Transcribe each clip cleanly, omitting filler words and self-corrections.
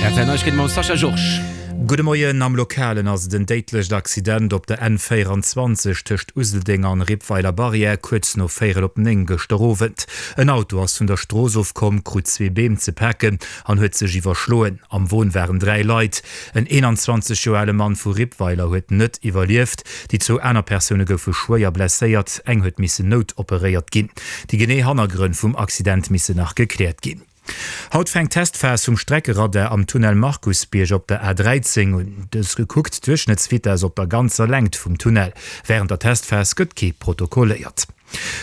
Rtl Neiegkeete mam Sascha Georges. Gudde Moien, Am Lokalen ass et en déidlecht Accident op der N 24 tëscht Useldeng an Rippweiler Barrière kuerz no véierel op 9 gëschter Owend. En Auto ass vun der Strooss ofkomm, krut zwee Beem ze paken an huet sech iwwerschloen. Am Won waren 3 Leit. En 21 Joer ale Mann vu Rippweiler huet net iwwerlieft. Déi zwou aner Persoune goufe schwéier blesséiert, eng huet missen noutoperéiert ginn. Déi genee Hannergrënn vum Accident missen nach gekläert ginn. Haut fänkt d'Testphas vum Streckeradar am Tunnel Markusbierg op der A13 un. Dës gekuckt d'Duerchschnëttsvitess op der ganzer Längt vum Tunnel. Wärend der Testphas gëtt kee protokolléiert.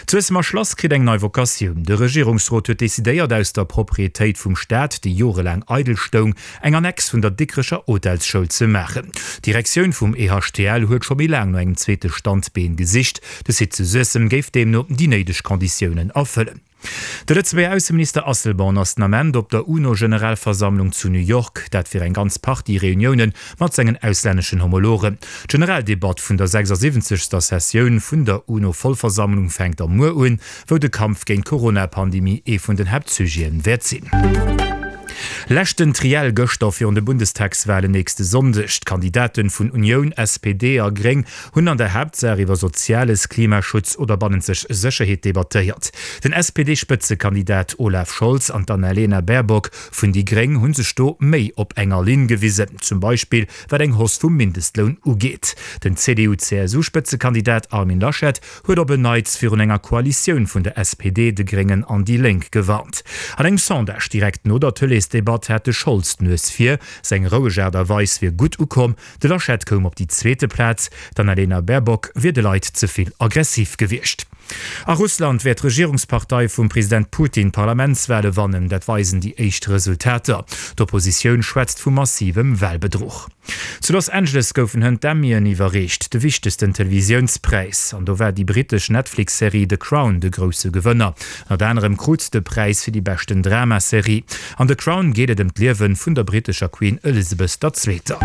D'Suessemer Schlass kritt eng nei Vocatioun. De Regierungsrot huet decidéiert, aus der Proprietéit vum Staat, déi jorelaang eidel stoung, eng Annex vun der Dikrecher Hotelsschoul ze maachen. D'Direktioun vum EHTL huet scho méi laang no engem zweete Standbeen gesicht. De Site zu Suessem géif deemno déi néideg Konditiounen erfëllen. De Lëtzebuerger Ausseminister Asselborn ass den Ament op der UNO-Generalversammlung zu New York. Dat fir eng ganz Partie Reunioune mat sengen auslänneschen Homologen. D'Generaldebatt vun der 76. Sessioun vun der UNO-Vollversammlung fänkt da muer un, wou de Kampf géint d'Corona-Pandemie ee vun den Haaptsujete wäert sinn. Leschten Triell gëschter virun de Bundestagswalen nächste Sonndeg. D'Kandidaten vun Unioun, SPD a Gréng hunn an der Haaptsaach iwwer Soziales, Klimaschutz oder bannenzeg Sécherheet debattéiert. Den SPD-Spëtzekandidat Olaf Scholz an d'Annalena Baerbock vun déi Gréng hu sech do méi op enger Linn gewisen, zum Beispill wat eng Hausse vum Mindestloun ugeet. Den CDU-CSU-Spëtzekandidat Armin Laschet huet op en Neits virun enger Koalitioun vun der SPD, de Gréngen an déi Lénk gewarnt. An engem Sondage direkt no der Tëleesdebatt hat de Scholz d'Nues vir, seng roueg Aart a Weis wier gutt ukomm. De Laschet koum op déi zweete Plaz, d'Annalena Baerbock wier de Leit ze vill aggressiv gewiescht. A Russland wäert d'Regierungspartei vum President Putin d'Parlamentswale wannen, dat weisen déi éischt Resultater. D'Oppositioun schwätzt vu massivem Walbedruch. Zu Los Angeles goufen hënt d'Emmyen iwwerreecht, de wichtegsten Televisiounspräis. An do war déi brittesch Netflix-Serie The Crown de grousse Gewënner. Ënnert anerem krut de Präis fir déi beschten Drama-Serie. An The Crown geet et ëm d'Liewe vun der brittescher Queen Elizabeth der Zweeter.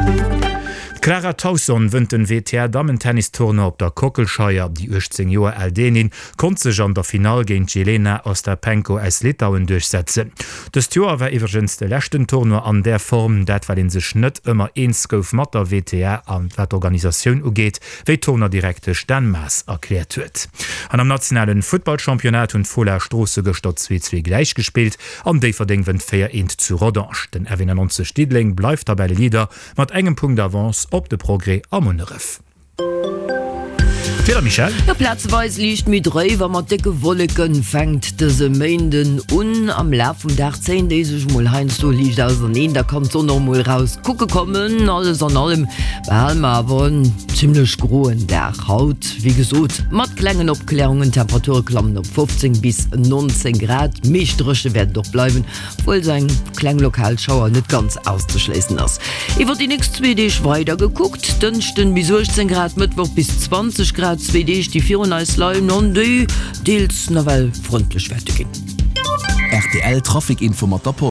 D'Clara Tauson wënnt den WTA-Dammen-Tennis-Tournoi op der Kockelscheier. Déi 18 Joer al Dänin konnt sech an der Finall géint d'Jelena Ostapenko aus Litauen duerchsetzen. Dëst Joer war iwwregens de leschten Tournoi an där Form, dat well ee sech net ëmmer eens gouf mat der WTA a wat d'Organisatioun ugeet, wéi d'Tournoi-Direktesch Dan Maas erkläert huet. An am nationale Futtballchampionnat hunn d'Fola Stroosse gëschter 2, 2 gläich gespillt an Déifferdeng wënnt 4, 1 zu Rodange. Den F91 Diddeleng bleift Tabelleleader mat engem Punkt Avance op de Progrès a Munneref. D'Wieder, Michèle? Jo, plazeweis liicht méi dréif a mat décke Wolleken fänkt dëse Méinden un. Am Laf vum Dag zéien déi sech mol heiansdo liicht auserneen, da kann d'Sonn och mol raus kucke kommen. Alles an allem behale mer awer en zimmlech groen Dag haut, wéi gesot mat klengen Opklärungen. D'Temperature klammen op 15 bis 19 Grad, meescht dréche wäert et och bleiwen. Obwuel sou eng kleng lokal Schauer net ganz auszeschléissen ass. Iwwer déi nächst zwee Deeg weider gekuckt, Dënschden bis 18 Grad, Mëttwoch bis 20 Grad, zwee Deeg déi virun eis leien an déi deels nawell frëndlech wäerte ginn. Rtl Trafic Info mat der Post.